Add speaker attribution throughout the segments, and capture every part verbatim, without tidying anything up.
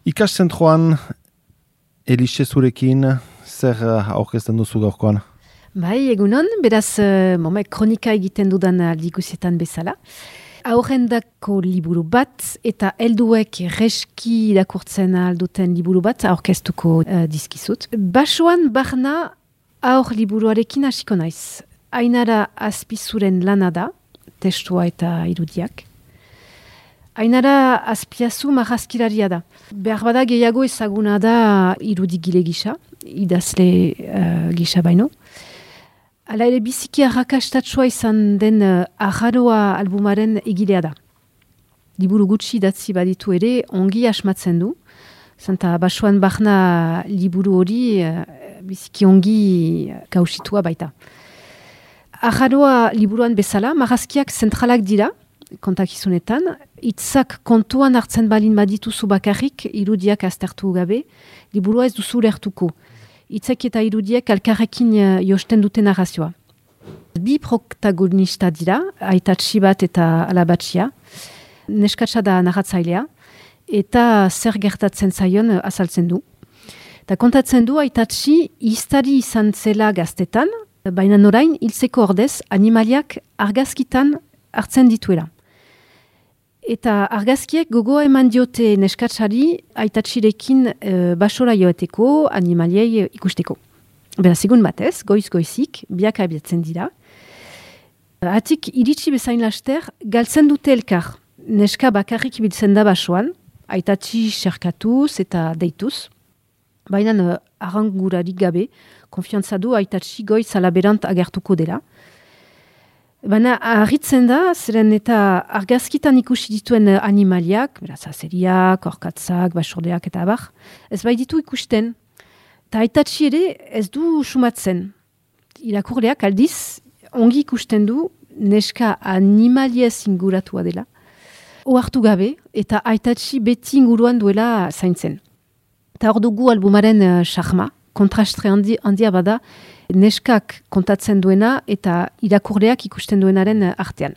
Speaker 1: Ikaszentroan, Elixe zurekin, zer aurkezten duzu gaurkoan?
Speaker 2: Bai, egunon, beraz, uh, momek kronika egiten dudan aldiguzietan bezala. Aurrendako liburu bat eta helduek reski irakurtzen alduten liburu bat aurkeztuko uh, dizkizut. Basoan barna aur liburuarekin hasiko naiz. Ainara Azpizuren lana da, testua eta irudiak. Ainara Azpiazu marrazkilaria da. Behar bada gehiago ezaguna da irudigile gisa, idazle uh, gisa baino. Hala ere biziki arrakastatsua izan den uh, Arraroa albumaren egilea da. Liburu gutxi idatzi baditu ere ongi asmatzen du. Zanta basoan barna liburu hori uh, biziki ongi kausitua baita. Arraroa liburuan bezala, marrazkiak zentralak dira, kontakizunetan, hitzak kontuan hartzen balin badituzu bakarrik, irudiak aztertu gabe, liburua ez duzu lertuko. Hitzak eta irudiak alkarrekin josten duten narrazioa. Bi protagonista dira, aitatsi bat eta alabatxia, neskatsa da narratzailea, eta zer gertatzen zaion azaltzen du. Eta kontatzen du aitatsi iztari izan zela gaztetan, baina orain hiltzeko ordez animaliak argazkitan hartzen dituela. Eta argazkiek gogoa eman diote neskatsari aitatxirekin e, basora joeteko, animaliei ikusteko. Beraz, egun batez, goiz-goizik, biak abiatzen dira. Atik iritsi bezain laster, galtzen dute elkar. Neska bakarrik ibiltzen da basoan, aitatxi xerkatuz eta deituz. Baina uh, arrangurarik gabe, konfiantza du aitatxi goiz alaberant agertuko dela. Baina harritzen da, zeren eta argazkitan ikusi dituen animaliak, beraz, azeriak, orkatzak, basordeak eta abar, ez bai ditu ikusten. Ta aitatxi ere ez du sumatzen. Irakurleak aldiz, ongi ikusten du, neska animaliez inguratua dela. Ohartu gabe, eta aitatxi beti inguruan duela zaintzen. Eta hor dugu albumaren charma, uh, kontrastre handi, handia bada, neskak kontatzen duena eta irakurleak ikusten duenaren artean.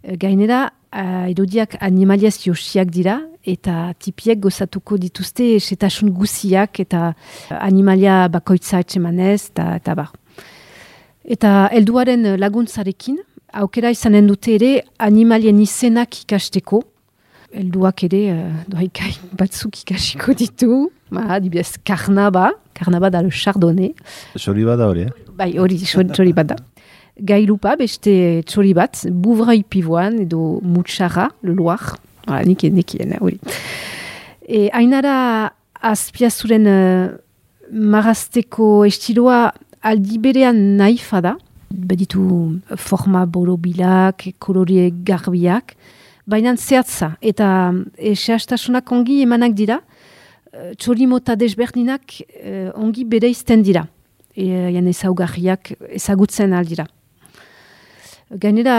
Speaker 2: Gainera, uh, irudiak animaliaz josiak dira eta tipiek gozatuko dituzte setasun guziak eta animalia bakoitza etxemanez eta, eta bar. Eta helduaren laguntzarekin, aukera izanen dute ere animalien izenak ikasteko. Helduak ere, uh, doaikai batzuk ikasiko ditu. Ba, dibidez, karnaba, karnaba da le chardonnay.
Speaker 1: Txori bat da hori, eh?
Speaker 2: Bai, hori, txori bat da. Gailupa, beste txori bat, bouvrai pivoan edo mutxarra, le loir. Hala, nikien, nikien, hori. E, Ainara Azpiazuren uh, marrazteko estiloa aldi berean naifa da. Baditu forma borobilak, kolore garbiak. Baina zehatza, eta e, sehastasunak ongi emanak dira, txori mota desberdinak e, ongi bereizten dira. E, jan ezaugarriak ezagutzen aldira. Gainera,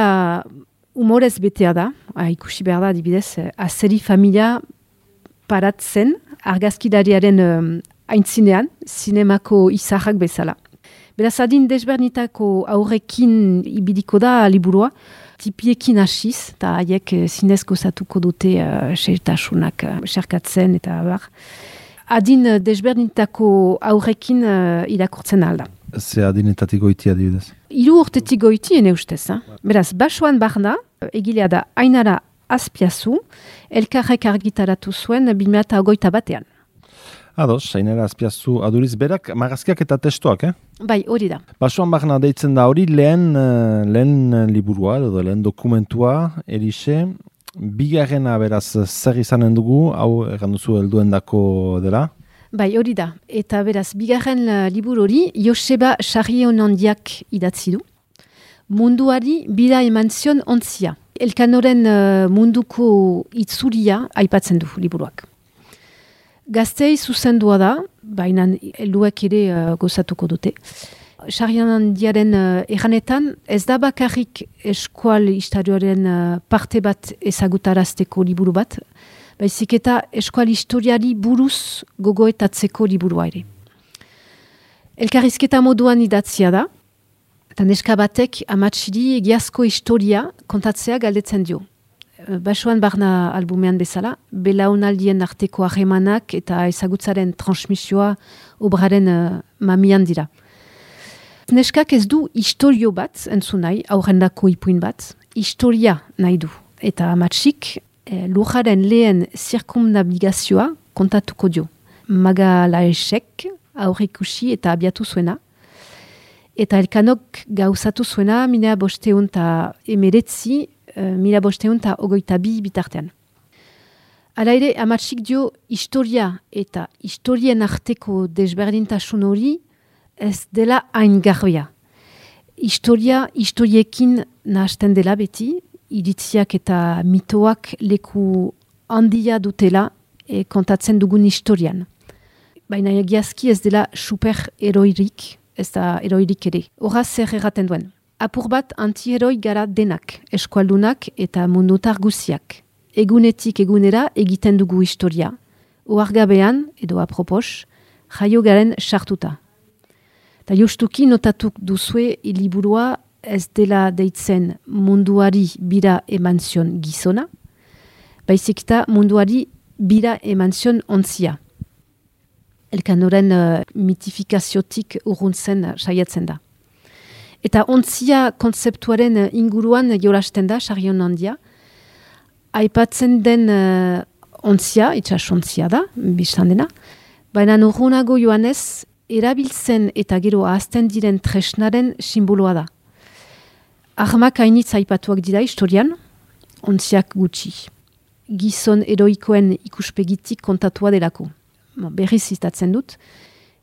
Speaker 2: humorez betea da, ha, ikusi behar da, adibidez, azeri familia paratzen argazkidariaren um, aintzinean, zinemako izarrak bezala. Beraz, adin desberdinetako aurrekin ibiliko da liburua, tipiekin hasiz, eta haiek zinez gozatuko dute uh, xertasunak uh, xerkatzen eta bar. Adin desberdinetako aurrekin uh, irakurtzen alda.
Speaker 1: Ze adinetatik goiti adibidez?
Speaker 2: Hiru urtetik goiti ene ustez. Eh? Beraz, basoan barna, egilea da Ainara Azpiazu, elkarrek argitaratu zuen bi mila hogeita batean.
Speaker 1: Ados, Ainara Azpiazu aduriz berak, marrazkiak eta testoak, eh?
Speaker 2: Bai, hori da.
Speaker 1: Basoan barna deitzen da hori lehen, lehen liburua, edo lehen dokumentua, Elixe. Bigarrena beraz zer izanen dugu, hau egan duzu helduendako dela?
Speaker 2: Bai, hori da. Eta beraz, bigarren liburu hori, Joseba Sarrionandiak idatzi du. Munduari bira eman zion ontzia. Elkanoren uh, munduko itzulia aipatzen du liburuak. Gaztei zuzendua da, baina helduek ere uh, gozatuko dute. Sarrionandiaren uh, erranetan, ez da bakarrik eskual historiaren uh, parte bat ezagutarazteko liburu bat, baizik eta eskual historiari buruz gogoetatzeko liburua ere. Elkarrizketa moduan idatzia da, eta neska batek amatsiri egiazko historia kontatzea galdetzen dio. basoan barna albumean bezala, belaunaldien arteko harremanak eta ezagutzaren transmisioa obraren uh, mamian dira. Neskak ez du historio bat, entzun nahi, aurrendako ipuin bat, historia nahi du. Eta amatsik, eh, lujaren lehen zirkumnabigazioa kontatuko dio. Maga laesek aurrikusi eta abiatu zuena. Eta elkanok gauzatu zuena mila bosteun eta emeretzi, uh, mila bosteun eta ogoita bi bitartean. Hala ere, amatsik dio historia eta historien arteko desberdintasun hori ez dela hain garbia. Historia, historiekin nahasten dela beti, iritziak eta mitoak leku handia dutela e, kontatzen dugun historian. Baina egiazki ez dela super eroirik, ez da eroirik ere. Horaz zer erraten duen. Apur bat anti-heroi gara denak, eskualdunak eta mundutar guziak. Egunetik egunera egiten dugu historia. Oargabean, edo apropos, jaio garen sartuta. Ta justuki notatuk duzue liburua ez dela deitzen munduari bira eman zion gizona, baizik eta munduari bira eman zion ontzia. Elkanoren uh, mitifikaziotik urruntzen uh, saiatzen da. Eta ontzia kontzeptuaren uh, inguruan jolasten da, sarion handia, aipatzen den uh, ontzia, itxasontzia da, biztan dena, baina urrunago joanez, erabiltzen eta gero ahazten diren tresnaren simboloa da. Armak hainitz aipatuak dira historian, ontziak gutxi. Gizon eroikoen ikuspegitik kontatua delako. Berriz zitatzen dut.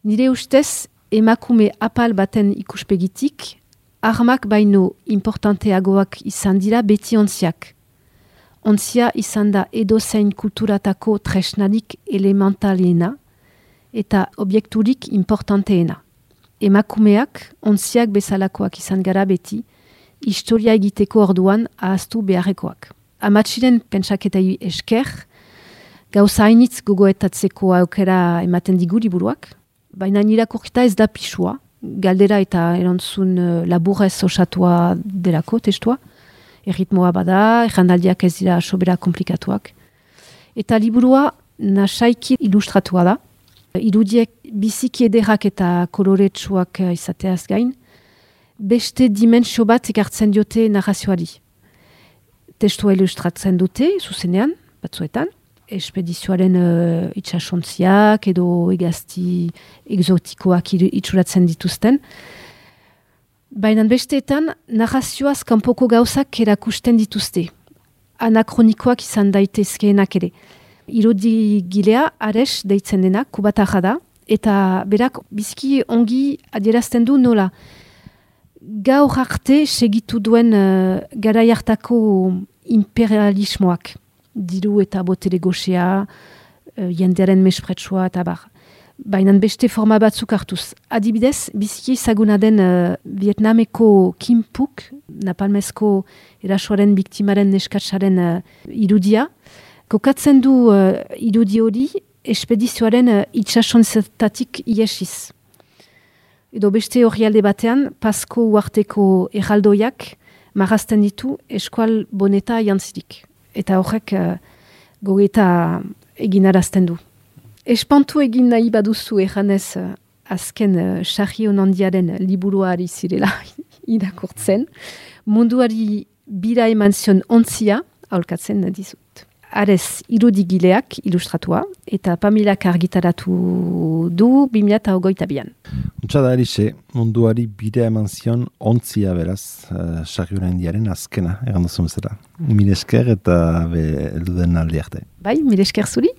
Speaker 2: Nire ustez, emakume apal baten ikuspegitik, armak baino importanteagoak izan dira beti ontziak. Ontzia izan da edozein kulturatako tresnarik elementalena, eta objekturik importanteena. Emakumeak, ontziak bezalakoak izan gara beti, historia egiteko orduan ahaztu beharrekoak. Amatsiren pentsaketei esker, gauza hainitz gogoetatzeko aukera ematen digu liburuak, baina irakurketa ez da pisua, galdera eta erantzun uh, laburrez osatua delako testua, erritmoa bada, errandaldiak ez dira sobera komplikatuak. Eta liburua nasaiki ilustratua da, irudiek biziki ederrak eta koloretsuak izateaz gain, beste dimensio bat ekartzen diote narrazioari. Testua ilustratzen dute, zuzenean, batzuetan, espedizioaren uh, itxasontziak edo egazti exotikoak itxuratzen dituzten. Baina besteetan, narrazioaz kanpoko gauzak erakusten dituzte. Anakronikoak izan daitezkeenak ere. Irudi gilea, Ares deitzen dena, kubatarra da, eta berak bizki ongi adierazten du nola. Gaur arte segitu duen uh, garai hartako imperialismoak, diru eta botere goxea, uh, jendearen mespretsua eta bar. Baina beste forma batzuk hartuz. Adibidez, bizki ezaguna den uh, Vietnameko Kim Phuc, napalmezko erasoaren biktimaren neskatsaren uh, irudia, kokatzen du uh, irudi hori espedizioaren uh, itxasontzetatik iesiz. Edo beste orrialde batean, Pasko uarteko erraldoiak marrazten ditu eskual boneta jantzirik. Eta horrek uh, gogeta eginarazten du. Espantu egin nahi baduzu erranez uh, azken uh, Sarri Honandiaren liburuari zirela irakurtzen, munduari bira eman zion ontzia aholkatzen dizut. Arez irudigileak ilustratua eta Pamilak argitaratu du bi mila hogeita bian.
Speaker 1: Untsa da erixe, munduari bira eman zion ontzia beraz, uh, Sarri Honandiaren azkena, egan duzu bezala. Mil esker eta be elduden aldi arte.
Speaker 2: Bai, mil esker zuri.